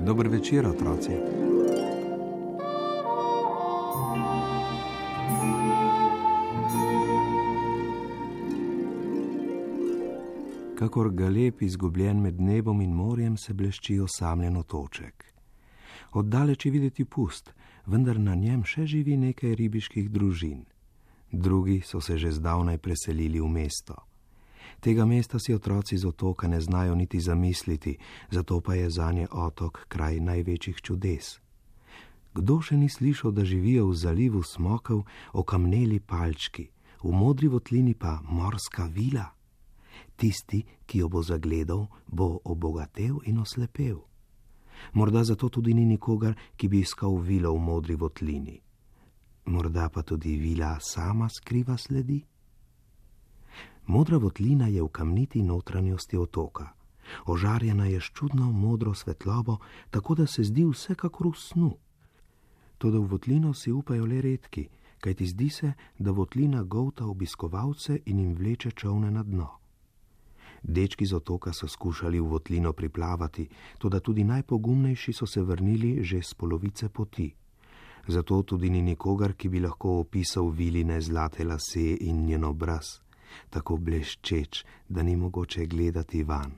Dober večer, otroci. Kakor galeb izgubljen med nebom in morjem se blešči osamljen otoček. Oddaleč je videti pust, vendar na njem še živi nekaj ribiških družin. Drugi so se že zdavnaj preselili v mesto. Tega mesta si otroci z otoka ne znajo niti zamisliti, zato pa je zanje otok kraj največjih čudes. Kdo še ni slišal, da živijo v zalivu smokov okamneli palčki, v modri votlini pa morska vila? Tisti, ki jo bo zagledal, bo obogatel in oslepel. Morda zato tudi ni nikogar, ki bi iskal vilo v modri votlini. Morda pa tudi vila sama skriva sledi? Modra votlina je v kamniti notranjosti otoka. Ožarjena je s čudno modro svetlobo, tako da se zdi vsekakor v snu. Toda v votlino si upajo le redki, kajti zdi se, da votlina golta obiskovalce in jim vleče čolne na dno. Dečki z otoka so skušali v votlino priplavati, toda tudi najpogumnejši so se vrnili že s polovice poti. Zato tudi ni nikogar, ki bi lahko opisal viline zlate lase in njen obraz, tako bleščeč, da ni mogoče gledati van.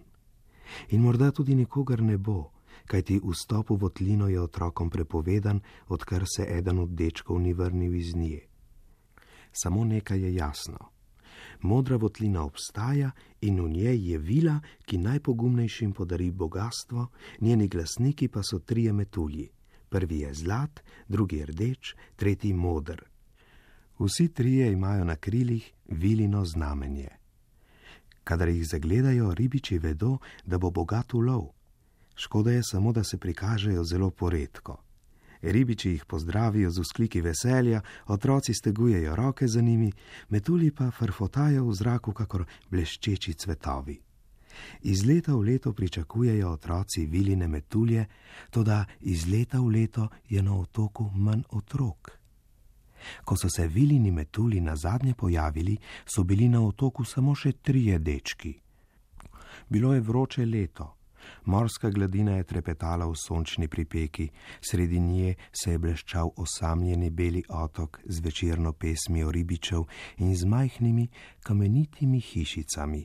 In morda tudi nikogar ne bo, kajti vstop v votlino je otrokom prepovedan, odkar se eden od dečkov ni vrnil iz nje. Samo nekaj je jasno. Modra votlina obstaja in v njej je vila, ki najpogumnejšim podari bogastvo, njeni glasniki pa so trije metulji. Prvi je zlat, drugi rdeč, tretji moder. Vsi trije imajo na krilih vilino znamenje. Kadar jih zagledajo, ribiči vedo, da bo bogat ulov. Škoda je samo, da se prikažejo zelo poredko. Ribiči jih pozdravijo z vzkliki veselja, otroci stegujejo roke za njimi, metulji pa frfotajo v zraku kakor bleščeči cvetovi. Iz leta v leto pričakujejo otroci viline metulje, toda iz leta v leto je na otoku manj otrok. Ko so se vilini metulji nazadnje pojavili, so bili na otoku samo še 3 dečki. Bilo je vroče leto. Morska gladina je trepetala v sončni pripeki, sredi nje se je bleščal osamljeni beli otok z večerno pesmijo ribičev in z majhnimi kamenitimi hišicami,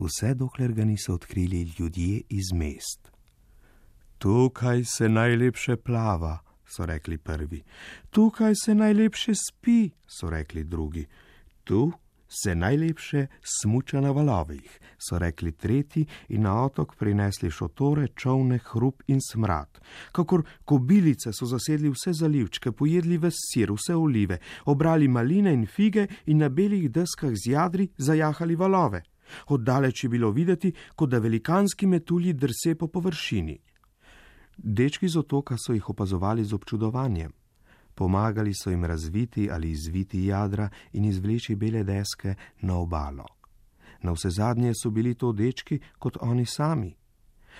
vse dokler ga niso odkrili ljudje iz mest. Tukaj se najlepše plava, so rekli prvi. Tukaj se najlepše spi, so rekli drugi. Tu se najlepše smuča na valovih, so rekli tretji in na otok prinesli šotore, čolne, hrup in smrad. Kakor kobilice so zasedli vse zalivčke, pojedli ves sir, vse olive, obrali maline in fige in na belih deskah z jadri zajahali valove. Oddaleč je bilo videti, kot da velikanski metulji drse po površini. Dečki z otoka so jih opazovali z občudovanjem. Pomagali so jim razviti ali izviti jadra in izvleči bele deske na obalo. Navsezadnje so bili to dečki kot oni sami.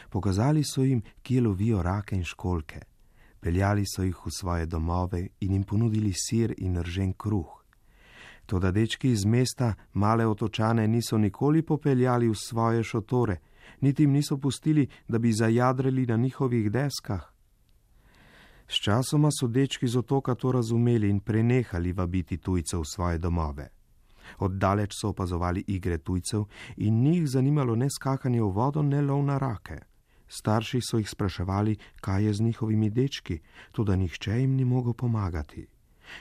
Pokazali so jim, kje lovijo rake in školjke. Peljali so jih v svoje domove in jim ponudili sir in ržen kruh. Toda dečki iz mesta male otočane niso nikoli popeljali v svoje šotore, niti jim niso pustili, da bi zajadrali na njihovih deskah. Sčasoma so dečki z otoka to razumeli in prenehali vabiti tujcev v svoje domove. Oddaleč so opazovali igre tujcev in njih zanimalo ne skakanje v vodo, ne lov na rake. Starši so jih spraševali, kaj je z njihovimi dečki, toda nihče jim ni mogel pomagati.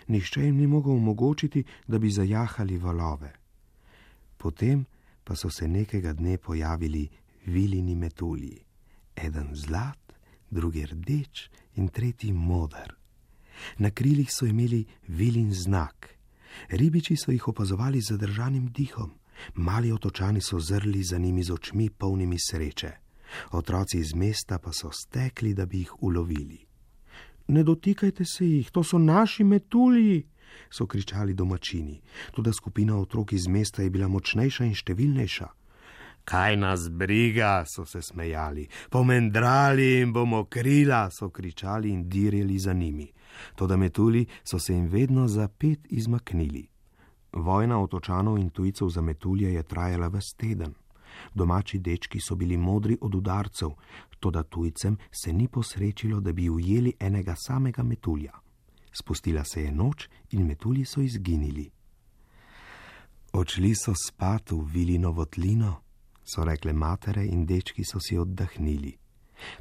Nihče jim ni mogel omogočiti, da bi zajahali valove. Potem pa so se nekega dne pojavili vilini metulji. Eden zlat, drugi rdeč in tretji moder. Na krilih so imeli vilin znak. Ribiči so jih opazovali z zadržanim dihom. Mali otočani so zrli za njimi z očmi polnimi sreče. Otroci iz mesta pa so stekli, da bi jih ulovili. Ne dotikajte se jih, to so naši metulji, so kričali domačini. Toda skupina otrok iz mesta je bila močnejša in številnejša. Kaj nas briga, so se smejali, pomendrali in bomo krila, so kričali in dirjali za njimi. Toda metulji so se jim vedno za pet izmaknili. Vojna otočanov in tujcev za metulje je trajala ves teden. Domači dečki so bili modri od udarcev, toda tujcem se ni posrečilo, da bi ujeli enega samega metulja. Spustila se je noč in metulji so izginili. Odšli so spat v Vilino votlino, so rekle matere in dečki so si oddahnili.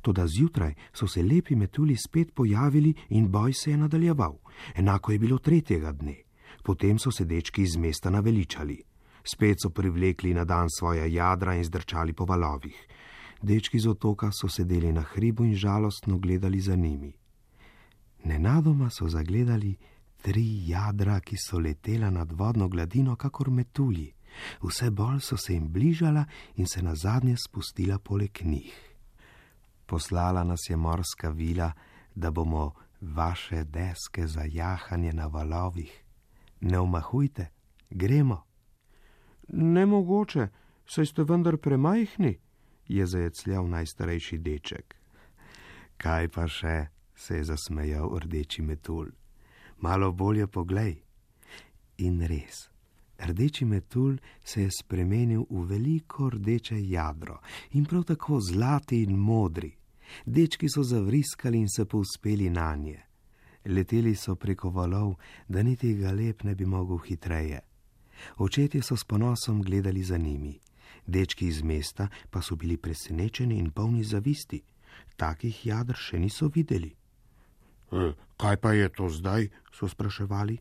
Toda zjutraj so se lepi metulji spet pojavili in boj se je nadaljeval. Enako je bilo tretjega dne. Potem so se dečki iz mesta naveličali. Spet so privlekli na dan svoja jadra in zdrčali po valovih. Dečki z otoka so sedeli na hribu in žalostno gledali za njimi. Nenadoma so zagledali 3 jadra, ki so letela nad vodno gladino kakor metulji. Vse bolj so se jim bližala in se nazadnje spustila poleg njih. Poslala nas je morska vila, da bomo vaše deske za jahanje na valovih. Ne omahujte, gremo. Nemogoče, saj ste vendar premajhni, je zajecljal najstarejši deček. Kaj pa še, se je zasmejal rdeči metulj. Malo bolje poglej. In res, rdeči metulj se je spremenil v veliko rdeče jadro in prav tako zlati in modri. Dečki so zavriskali in se povzpeli nanje. Leteli so preko valov, da niti galeb ne bi mogel hitreje. Očetje so s ponosom gledali za njimi. Dečki iz mesta pa so bili presenečeni in polni zavisti. Takih jadr še niso videli. Kaj pa je to zdaj, so spraševali.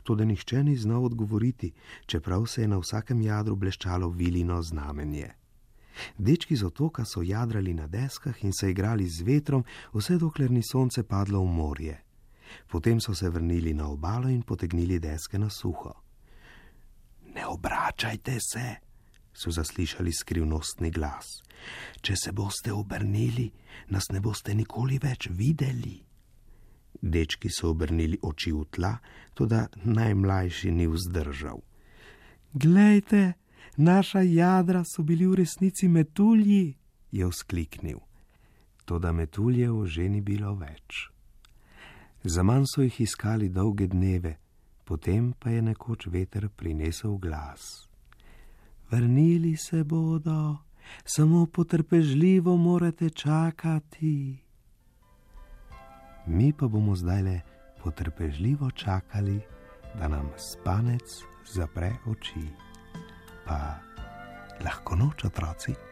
Toda nihče ni znal odgovoriti, čeprav se je na vsakem jadru bleščalo Vilino znamenje. Dečki z otoka so jadrali na deskah in se igrali z vetrom, vse dokler ni sonce padlo v morje. Potem so se vrnili na obalo in potegnili deske na suho. Ne obračajte se, so zaslišali skrivnostni glas. Če se boste obrnili, nas ne boste nikoli več videli. Dečki so obrnili oči v tla, toda najmlajši ni vzdržal. Glejte, naša jadra so bili v resnici metulji, je vzkliknil. Toda metuljev že ni bilo več. Zaman so jih iskali dolge dneve, potem pa je nekoč veter prinesel glas. Vrnili se bodo, samo potrpežljivo morate čakati. Mi pa bomo zdajle potrpežljivo čakali, da nam spanec zapre oči. Pa lahko noč, otroci.